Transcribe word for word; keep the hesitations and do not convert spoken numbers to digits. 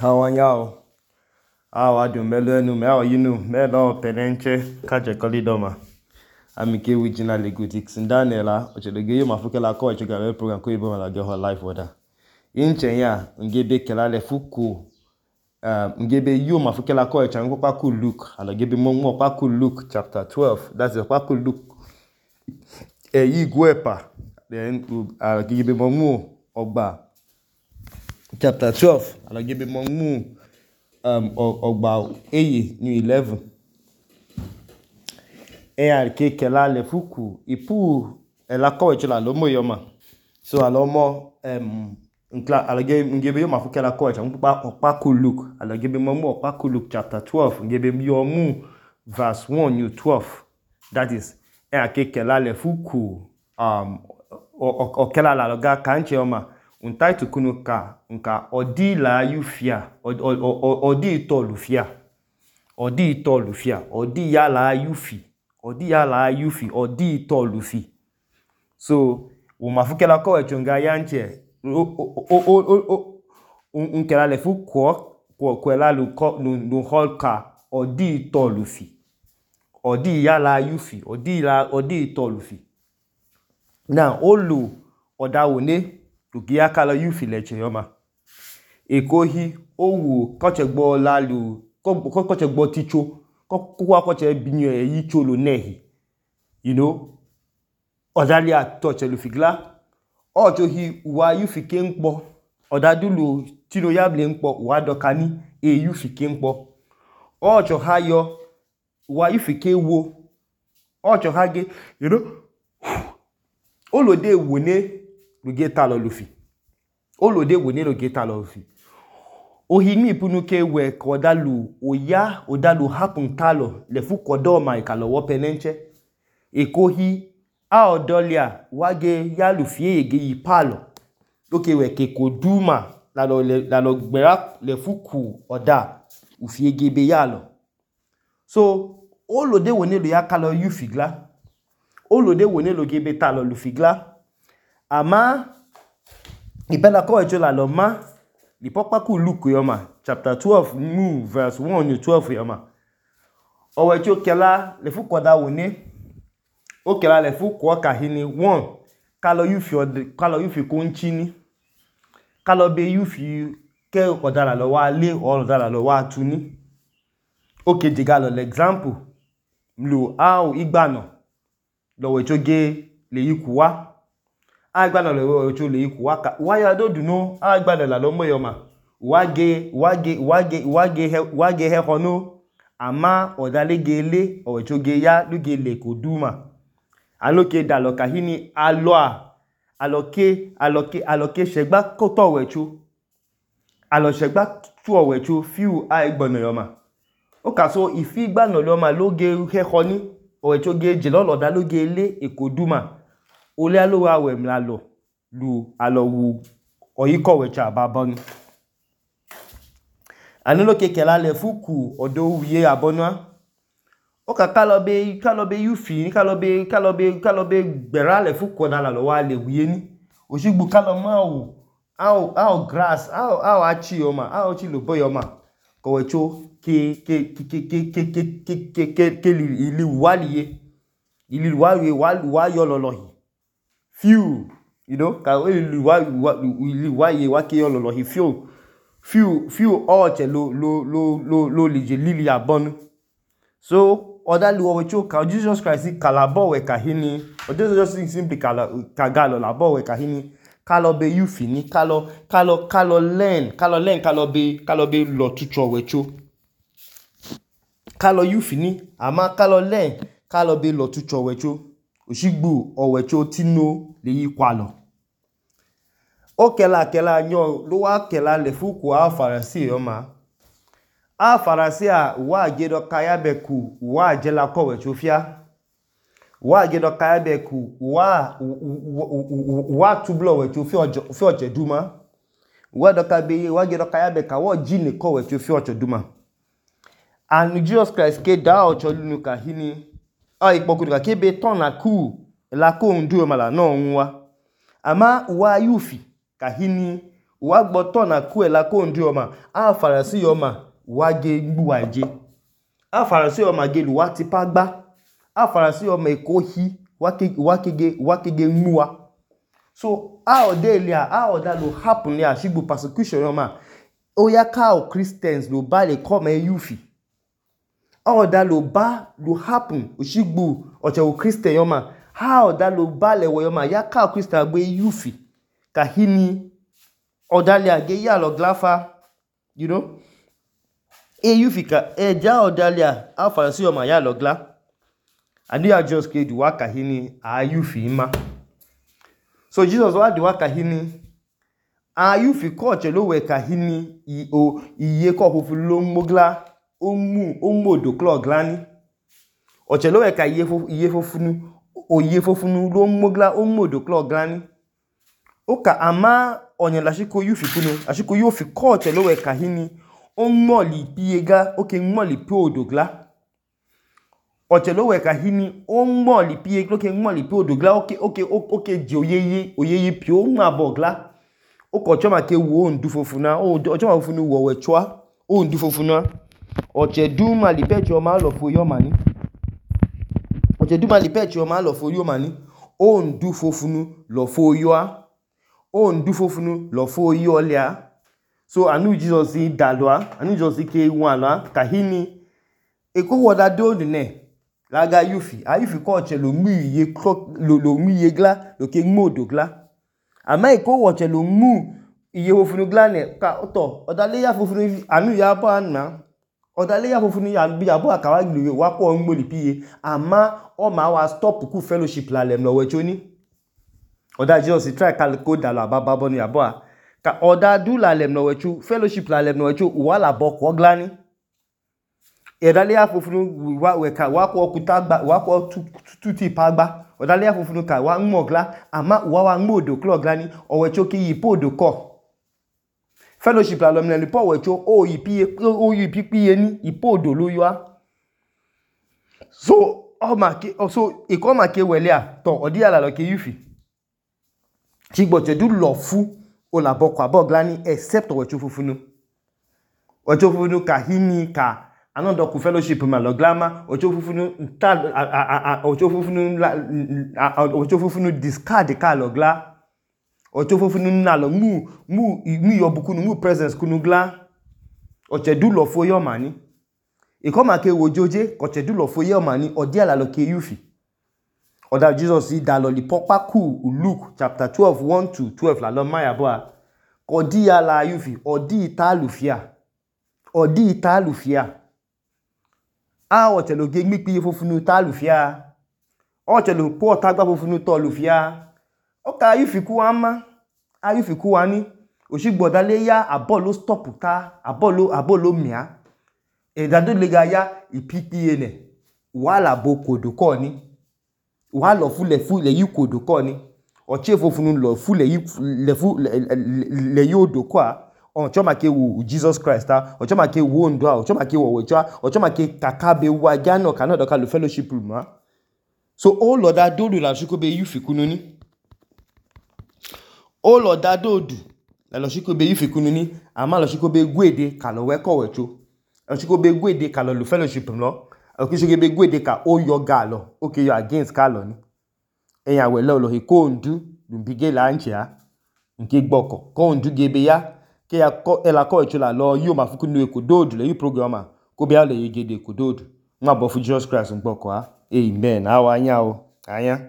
Hawanyao, awa du melenu meo yinu melo penenche kache kolidoma. Amike wijina legotix ndanela ochelege yo mafukela ko echogale program ko ibo mala geho live order. Inche ya ngebe kelale fuku um ngebe yo mafukela ko echango paku Luke ala gebe mongo paku Luke chapter twelve, that's paku Luke e yigwepa then ala gebe mongo ogba chapter twelve ala gebe mongo um ogba eye new eleven e arke kelale fuku ipu ela ko echola lomo yoma so alomo um nkla ala gebe ngebe yo mafukela ko echango paku Luke ala gebe mongo paku Luke chapter twelve ngebe yo mu verse one new twelve, that is e arke kelale fuku um okela la loga kanche yoma untaitu kunu ka nka odi la yufia odi itolufia odi itolufia odi ya la yufi odi ya la yufi odi itolufi. So umafukela ko echonga yanche unkela le fuku ko kwela lu lu holka odi itolufi odi ya la yufi odi la odi itolufi. Now olu odawone tugia kala yufi leche yoma ekohi owu kochegbo lalu ko kochegbo ticho ko kwa koche binyo e yicholo nehi, you know, odali atoche lufigla ojohi wa yufi kenpo odadulu tino yable npo wa dokani e yufi kenpo ojo hayo wa yufi kewo ojo hage, you know, olode wone lugeta lo lufi olode wone lugeta lo lufi ohimi ipunuke we kodalu oya odalu hapun kalo le fu kodoma ikalo wo penenche ekohi a odolia wage ya lufie ege yipalo loke we ke koduma la lo la lo gbera le fuku oda ufie gebe yalo. So olode wone lo yakalo yufigla olode wone lo gebe talo lufigla ama ibela ko ejola lo ma li popaku Luke yoma chapter twelve mu verse one to twelve yoma owe cho kela le fuku oda wone o kela le fuku o kahini one kalo yufi kalo yufi konchini kalo be yufi ke odala lo wa le o odala lo wa tuni oke digalo l'example mlu au igbano lo we cho ge le yikuwa agbana lo ocho le iku waka waya do duno agbana la lo moyoma wage wage wage wage he wage he hono ama odalegele ocho ge ya lugele koduma aloke daloka hini aloa aloke aloke aloke segba ko to wecho alo segba tu owecho fiu agbana yoma o ka so ifi gbana lo ma loge he honi ocho ge je lo loda lugele ekoduma ole alo awe mlalo lu alo wu oyiko wecha babonu anilo kekela le fuku odo wiye abonwa o ka kalobe kalobe yufi kalobe kalobe kalobe gbera le fuku na lo wa le wiye ni osigbu kaloma o ao ao grass ao ao achi yoma ao chi lo boyoma ko wecho ke ke ke ke ke ke ke ke ke ili waliye ili waliye wa yo lolohi few, you know, ka we wa wa ye wa ke yolo lo hi few few few oche lo lo lo lo lo lije lili abonu. So odalu we cho ka Jesus Christ kalabo we kahini o Jesus simply kala kagalo labo we kahini kalo be yufi ni kalo kalo kalo learn kalo learn kalo be kalo be lo tucho we cho kalo yufi ni ama kalo learn kalo be lo tucho we cho osigbu owecho tino le yikwalo o kela kela nyo lo wa kela le fuku a farasi yoma a farasi a wa gedo kayabeku wa jela ko wecho fia wa gedo kayabeku wa wa tublo wecho fi ojo fi oje duma wa do ka be wa gedo kayabeka wo jini ko wecho fi ojo duma and Jesus Christ ke da ojo lunu ka hini a ipoku ka kebe ton na ku la ko ndu mala no nwa ama wa yufi kahini wa gboto na ku ela ko ndu yoma a Pharisee yoma wa ge gbuwa je a Pharisee yoma ge lu wa tipa gba a Pharisee yoma eko hi wa ke wa kege wa kege gbuwa. So a odelia a oda lo happen ya shigbu persecution yoma oya ka o Christians lo ba le come yufi a oda lo ba lo happen oshigbu oche o Christian yoma ha oda lo ba le wo yoma ya ka o Christian gbe yufi ka hini odalia ge ya lo glafa, you know, e yufi ka e ja odalia a Pharisee yoma ya lo gla and ya just ke du wa ka hini a yufi ma. So Jesus wa di wa ka hini a yufi ko che lo we ka hini i o iye ko fofu lo mogla o mu o modo klo glani o che lo we ka iye fofu iye fofunu o iye fofunu lo mogla o modo klo glani o ka ama onye la shiko yufi kunu ashiko yufi ko che lo we ka hini o moli piega o ke moli pe odogla o che lo we ka hini o moli piega o ke moli pe odogla o ke o ke o ke je oyeye oyeye pi o ma bogla o ko choma ke wo ndu fofuna o choma fofunu wo we chwa o ndu fofuna o che du ma li pe choma lo fo yo mani o che du ma li pe choma lo fo yo mani o ndu fofunu lo fo yo a o ndu fofunu lo fo yo lia. So anu Jesus i dalwa anu Jesus ke wanla ka hini e ko woda do ne laga yufi a yufi ko che lo mu iye lo lo mu iye gla lo ke modo gla ama e ko wo che lo mu iye fofunu gla ne ka oto odale ya fofunu anu ya ba na odale ya fofunu ya bi abo akawa gbe wa ko ngboli piye ama o ma wa stop ku fellowship la lem lo we choni oda Jesus try kal ko dalo ababa bonu ya bo ka oda du la lem no we chu fellowship la lem no we chu wa la bo ko glani edale ya fofunu wa we ka wa ko okuta gba wa ko tuti pa gba odale ya fofunu ka wa nmogla ama wa wa nmodo klo glani o we chu ki yipodo ko fellowship la lem le po we chu o yipi o yipi piye ni ipodo lo yo a. So o ma ke so e ko ma ke wele a to odi ala lo ke yufi chigbo che du lo fu o la boko aboglani except o chu fufunu o chu fufunu ka hini ka anodo ku fellowship ma lo glama o chu fufunu ta o chu fufunu o chu fufunu discard ka lo gla o chu fufunu na lo mu mu mu yo bukunu mu presence kunu gla o che du lo fo yo mani e ko ma ke wojoje ko che du lo fo yo mani o dia la lo ke yufi oda Jesus i da lo li popa ku Luke chapter twelve one to twelve la lo maya boa ko di ya la yufi odi italufia odi italufia a o che lo ge mi pi fofunu talufia o che lo po ta gba fofunu to lufia o ka yufi ku ama a yufi ku ani osigbo dale ya abolo stop ta abolo abolo mia e da do le ga ya ipipi ene wala bokodo ko ni wa lo fu le fu le yikodo ko ni o che fofunu lo fu le le fu le yodo kwa o choma ke wo Jesus Christ ta o choma ke wo ndo o choma ke wo wecha o choma ke kakabe wa jano kana do ka lo fellowship room. So o lo da do la shiko be yufi kununi o lo da do du la lo shiko be yufi kununi ama lo shiko be gwede ka lo we ko wecho lo shiko be gwede ka lo lo fellowship lo o ki shiko be gwede ka o yo ga lo o ke yo against ka lo ni eyan we lo lo he ko ndu lumbige la nchia nke gboko ko ndu gebe ya ke ya ko ela ko echula lo yo mafuku nu ekododu le yi programa ko be ale yegede ekododu nwa bo fu Jesus Christ ngboko ha. Amen. Awa anya o anya